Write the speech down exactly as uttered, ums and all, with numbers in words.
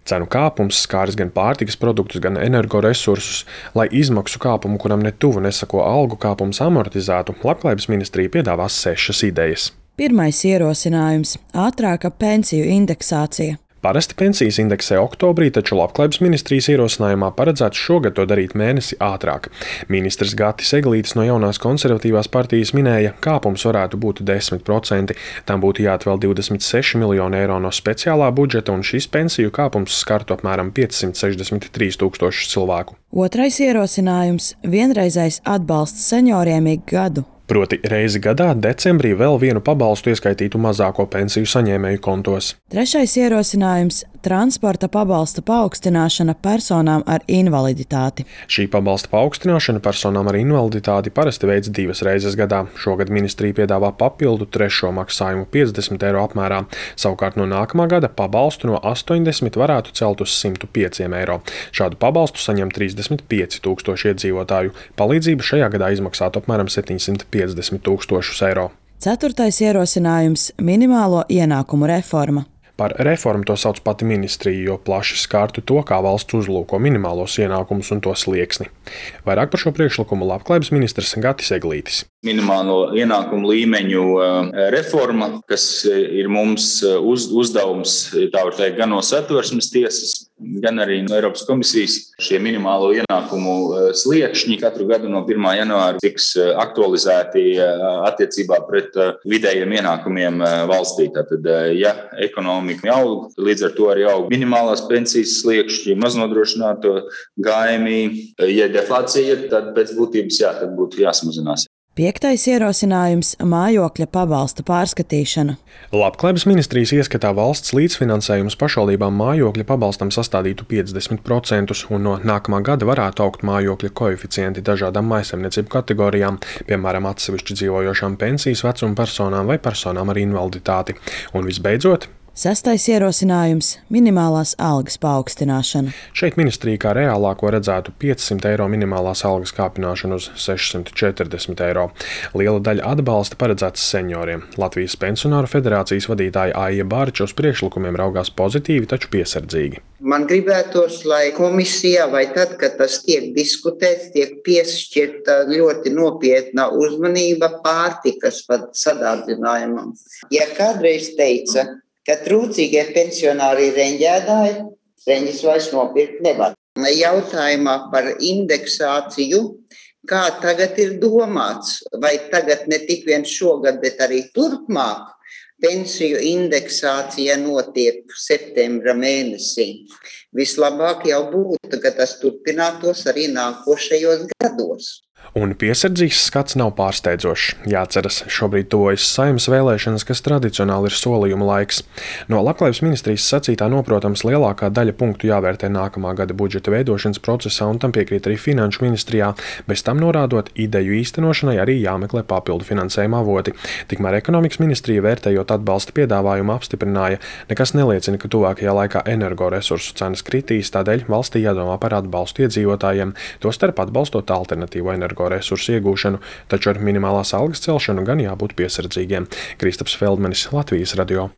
Cenu kāpums skāris gan pārtikas produktus, gan energoresursus. Lai izmaksu kāpumu, kuram ne tuvu nesako algu kāpums, amortizētu, Labklājības ministrija piedāvās sešas idejas. Pirmais ierosinājums – ātrāka pensiju indeksācija. Parasti pensijas indeksē oktobrī, taču Labklājības ministrijas ierosinājumā paredzēts šogad to darīt mēnesi ātrāk. Ministrs Gatis Eglītis no Jaunās konservatīvās partijas minēja, kāpums varētu būt desmit procenti. Tam būtu jāatvēl divdesmit seši miljoni eiro no speciālā budžeta, un šis pensiju kāpums skartu apmēram piecsimt sešdesmit trīs tūkstošus cilvēku. Otrais ierosinājums – vienreizējs atbalsts senioriem ik gadu. Proti reizi gadā decembrī vēl vienu pabalstu ieskaitītu mazāko pensiju saņēmēju kontos. Trešais ierosinājums – transporta pabalsta paaugstināšana personām ar invaliditāti. Šī pabalsta paaugstināšana personām ar invaliditāti parasti veids divas reizes gadā. Šogad ministrija piedāvā papildu trešo maksājumu piecdesmit eiro apmērā. Savukārt no nākamā gada pabalstu no astoņdesmit varētu celt uz simt pieci eiro. Šādu pabalstu saņem trīsdesmit pieci tūkstoši iedzīvotāju. Palīdzība šajā gadā izmaksātu apmēram septiņsimt piecdesmit tūkstošus eiro. Ceturtais ierosinājums – minimālo ienākumu reforma. Par reformu to sauc pati ministrija, jo plaši skārtu to, kā valsts uzlūko minimālos ienākumus un to slieksni. Vairāk par šo priekšlikumu Labklājības ministrs Gatis Eglītis. Minimālo ienākumu līmeņu reforma, kas ir mums uz, uzdevums, tā var teikt, gan no Satversmes tiesas, gan arī no Eiropas komisijas. Šie minimālo ienākumu sliekšņi katru gadu no pirmā janvāra tiks aktualizēti attiecībā pret vidējiem ienākumiem valstī. Tātad, ja ekonomika aug, līdz ar to arī aug minimālās pensijas sliekšņi, maznodrošināto gājumi. Ja deflācija, tad pēc būtības jā, tad būtu jāsamazinās. Piektais ierosinājums – mājokļa pabalsta pārskatīšana. Labklājības ministrijas ieskatā valsts līdzfinansējums pašvaldībām mājokļa pabalstam sastādītu piecdesmit procentus, un no nākamā gada varētu augt mājokļa koeficienti dažādām mājsaimniecību kategorijām, piemēram, atsevišķi dzīvojošām pensijas vecuma personām vai personām ar invaliditāti. Un visbeidzot, Sestais ierosinājums – minimālās algas paaugstināšana. Šeit ministrija kā reālāko redzētu piecsimt eiro minimālās algas kāpināšanu uz sešsimt četrdesmit eiro. Liela daļa atbalsta paredzēts senioriem. Latvijas pensionāru federācijas vadītāja Aija Bārča uz priekšlikumiem raugās pozitīvi, taču piesardzīgi. Man gribētos, lai komisijā vai tad, kad tas tiek diskutēts, tiek piešķirta ļoti nopietna uzmanība pārtikas sadārdzinājumam. Ja kādreiz teica, ka trūcīgie pensionāri ir reņģēdāji, reņģis vairs nopirkt nevar. Jautājumā par indeksāciju, kā tagad ir domāts, vai tagad ne tik vien šogad, bet arī turpmāk pensiju indeksācija notiek septembra mēnesī. Vislabāk jau būtu, ka tas turpinātos arī nākošajos gados. Un piesardzīgs skats nav pārsteidzošs. Jāceras, šobrīd tuvojas Saeimas vēlēšanas, kas tradicionāli ir solījuma laiks. No Labklājības ministrijas sacītā noprotams lielākā daļa punktu jāvērtē nākamā gada budžeta veidošanas procesā, un tam piekrīt arī Finanšu ministrijā, bez tam norādot, ideju īstenošanai arī jāmeklē papildu finansējuma avoti. Tikmēr Ekonomikas ministrija, vērtējot atbalsta piedāvājumu, apstiprināja, nekas neliecina, ka tuvākajā laikā energoresursu cenas kritīs, tādēļ valstī jādomā par atbalstu iedzīvotājiem, tostarp atbalstot alternatīvo energo resursu iegūšanu, taču ar minimālās algas celšanu gan jābūt piesardzīgiem. Kristaps Feldmanis, Latvijas radio.